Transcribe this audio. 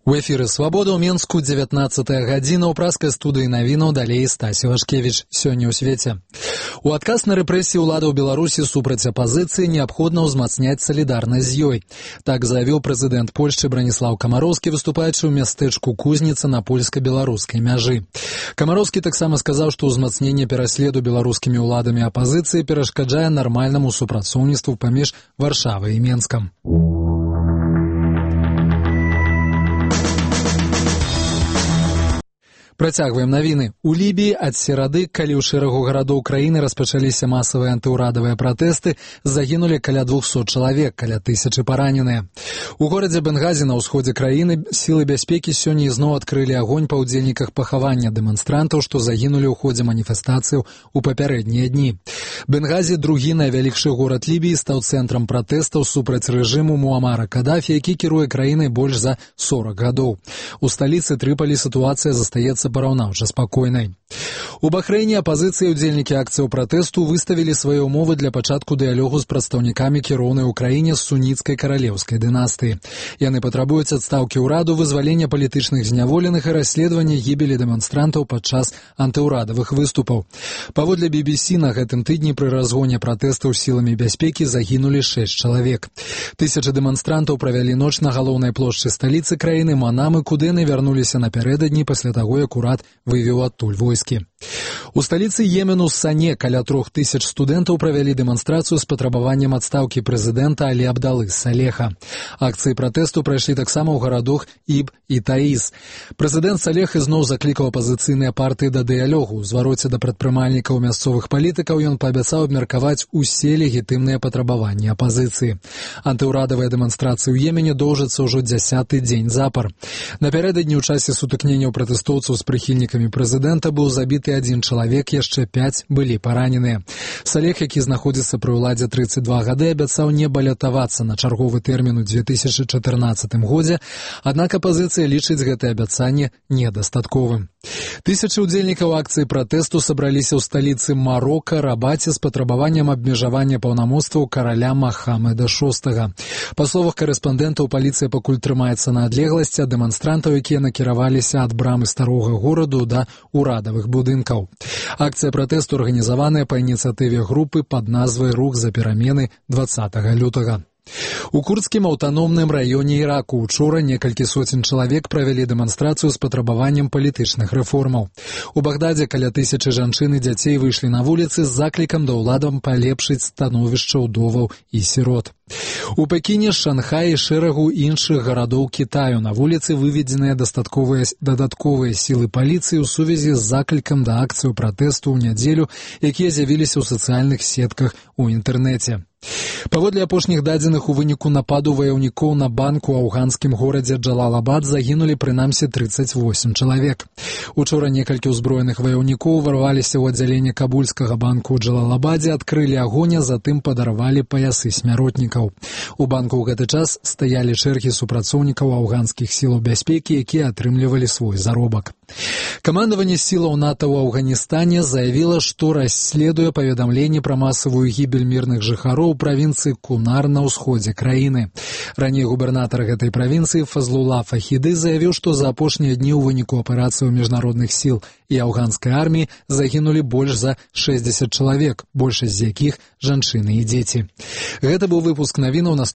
У эфіры «Свабода» ў Менску 19-я гадзіна ў праскай студыі навінаў далей Стасі Вашкевіч. Сёння ў свеце. У адказ на рэпрэсіі ўладаў Беларусі супраць апазіцыі неабходна ўзмацняць салідарнасць з ёй. Так заявіў прэзідэнт Польшчы Браніслаў Камароўскі, выступаючы ў мястэчку Кузніца на польска-беларускай мяжы. Камароўскі таксама сказаў, што ўзмацненне пераследу беларускімі ўладамі апазіцыі перашкаджае нармальнаму супрацоўніцтву паміж Варшавай і Менскам. Працягваем навіны. У Лібіі ад серады, калі ў шэрагу гарадоў краіны распачаліся масавыя антыўрадавыя пратэсты, загінулі каля 200 чалавек, каля 1000 параненыя. У горадзе Бенгазі на ўсходзе краіны сілы бяспекі сёння ізноў адкрылі агонь па ўдзельніках пахавання дэманстрантаў, што загінулі ў ходзе маніфестацыяў у папярэднія дні. Бенгазі, другі найвялікшы горад Лібіі, стаў цэнтрам пратэстаў супраць рэжыму Муамара Кадафі, які кіруе краінай больш за 40 гадоў. У сталіцы Трыполі сітуацыя застаецца параўнаўча спакойнай. У Бахрэйне апазіцыя і ўдзельнікі акцыяў пратэсту выставілі свае ўмовы для пачатку дыялогу з прадстаўнікамі кіроўнай у краіне з суніцкай каралеўскай дынастыі. Яны патрабуюць адстаўкі ўраду, вызвалення палітычных зняволеных і расследавання гібелі дэманстрантаў падчас антыўрадавых выступаў. Паводле BBC, на гэтым тыдні пры разгоне пратэстаў сіламі бяспекі загінулі 6 чалавек. Тысячы дэманстрантаў правялі ноч на галоўнай плошчы сталіцы краіны Манамы, куды яны вярнуліся напярэдадні пасля таго, як урад вывеў адтуль войскі. У сталіцы Йемену Сане каля 3000 студэнтаў правялі дэманстрацыю з патрабаваннем адстаўкі прэзідэнта Алі Абдалы Салеха. Акцыі пратэсту прайшлі таксама ў гарадах Іб і Таіс. Прэзідэнт Салех ізноў заклікаў апазіцыйныя партыі да дыялогу. У звароце да прадпрымальнікаў мясцовых палітыкаў ён паабяцаў абмеркаваць усе легітымныя патрабаванні апазіцыі. Антыўрадавыя дэманстрацыі ў Йемене доўжацца ўжо 10-й дзень запар. Напярэдадні ў часе сутыкненняў пратэстоўцаў з прыхільнікамі прэзідэнта быў забіты 1 чалавек, яшчэ 5 былі параненыя. Салех, які знаходзіцца пры ўладзе 32 гады, абяцаў не балятавацца на чарговы тэрмін у 2014 годзе, аднак апазіцыя лічыць гэтае абяцанне недастатковым. Тысячы ўдзельнікаў акцыі пратэсту сабраліся ў сталіцы Марока, Рабаце, з патрабаваннем абмежавання паўнамоцтваў караля Махамеда VI. Па словах карэспандэнтаў, паліцыя пакуль трымаецца на адлегласці ад дэманстрантаў, якія накіраваліся ад брамы старога гораду да урадавых будынкаў. Акцыя пратэсту арганізаваная па ініцыятыве групы пад назвай «Рух за перамены» 20 лютага. У курдскім аўтаномным раёне Іраку учора некалькі соцень чалавек правялі дэманстрацыю з патрабаваннем палітычных рэформаў. У Багдадзе каля 1000 жанчын і дзяцей выйшлі на вуліцы з заклікам да ўладам палепшыць становішча ўдоваў і сірот. У Пекіне, Шанхаі і шэрагу іншых гарадоў Кітаю на вуліцы выведзеныя дадатковыя сілы паліцыі ў сувязі з заклікам да акцыю пратэсту ў нядзелю, якія з'явіліся ў сацыяльных сетках у інтэрнэце. Паводле апошніх дадзеных, у выніку нападу ваяўнікоў на банк у афганскім горадзе Джалалабад загінулі прынамсі 38 чалавек. Учора некалькі ўзброеных ваяўнікоў варваліся ў аддзяленне кабульскага банку ў Джалалабадзе, адкрылі агонь, а затым падарвалі паясы смяротнікаў. У банку ў гэты час стаялі чэргі супрацоўнікаў афганскіх сілаў бяспекі, якія атрымлівалі свой заробак. Камандаванне сілаў НАТО ў Афганістане заявіла, што расследуе паведамленні пра масавую гібель мірных жыхароў правінцыі Кунар на ўсходзе краіны. Раней губернатар гэтай правінцыі Фазлула Фахіды заявіў, што за апошнія дні ў выніку аперацыяў міжнародных сіл і афганскай арміі загінулі больш за 60 чалавек, большасць з якіх жанчыны і дзеці. Гэта быў выпуск навінаў.